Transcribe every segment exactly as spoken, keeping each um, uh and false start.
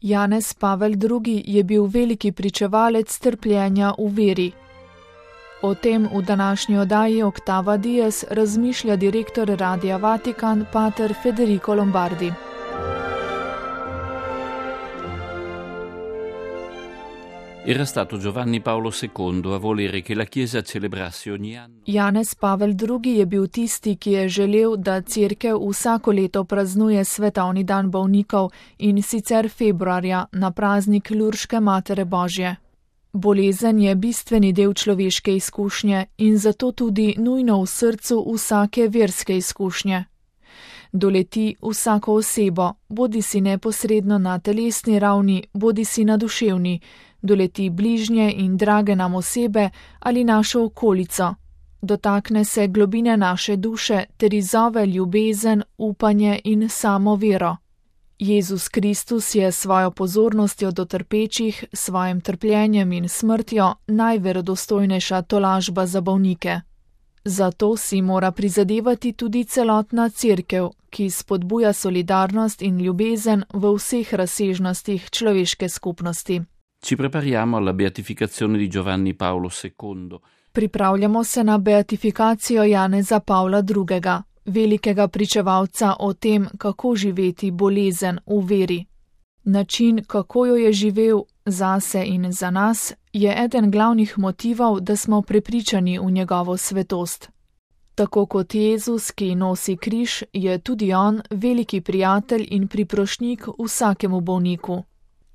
Janez Pavel drugi. Je bil veliki pričevalec trpljenja v veri. O tem v današnji oddaji Oktava Dies razmišlja direktor Radia Vatikan, pater Federico Lombardi. Era stato Giovanni Paolo secondo a volere che la Chiesa celebrasse ogni anno. Janez Pavel drugi. Je bil tisti, ki je želel, da cerkev vsako leto praznuje svetovni dan bolnikov, in sicer februarja na praznik Lurške Matere Božje. Bolezen je bistveni del človeške izkušnje in zato tudi nujno v srcu vsake verske izkušnje. Doleti vsako osebo, bodisi neposredno na telesni ravni, bodisi na duševni, doleti bližnje in drage nam osebe ali našo okolico. Dotakne se globine naše duše ter izzove ljubezen, upanje in samo vero. Jezus Kristus je svojo pozornostjo do trpečih, svojim trpljenjem in smrtjo najverodostojnejša tolažba za bolnike. Zato si mora prizadevati tudi celotna cerkev, ki spodbuja solidarnost in ljubezen v vseh razsežnostih človeške skupnosti. Ci prepariamo alla beatificazione di Giovanni Paolo secondo. Pripravljamo se na beatifikacijo Janeza Pavla drugega. Velikega pričevalca o tem, kako živeti bolezen v veri. Način, kako jo je živel zase in za nas, je eden glavnih motivov, da smo prepričani v njegovo svetost. Tako kot Jezus, ki nosi križ, je tudi on veliki prijatelj in priprošnjik vsakemu bolniku.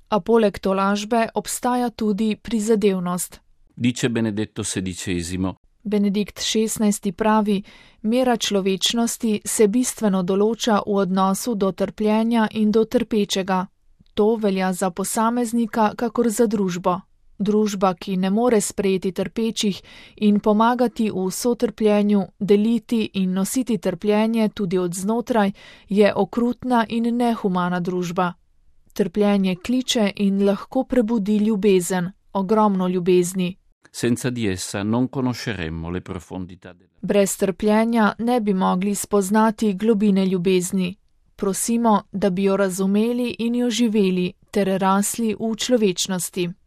A poleg tolažbe obstaja tudi prizadevnost. Dice Benedetto sedicesimo. Benedikt šestnajsti. pravi: mera človečnosti se bistveno določa v odnosu do trpljenja in do trpečega. To velja za posameznika kakor za družbo. Družba, ki ne more sprejeti trpečih in pomagati v sotrpljenju, deliti in nositi trpljenje tudi od znotraj, je okrutna in nehumana družba. Trpljenje kliče in lahko prebudi ljubezen, ogromno ljubezni. Senza di essa non conosceremmo le profondità della... Brez trpljenja ne bi mogli spoznati globine ljubezni. Prosimo, da bi jo razumeli in jo živeli ter rasli v človečnosti.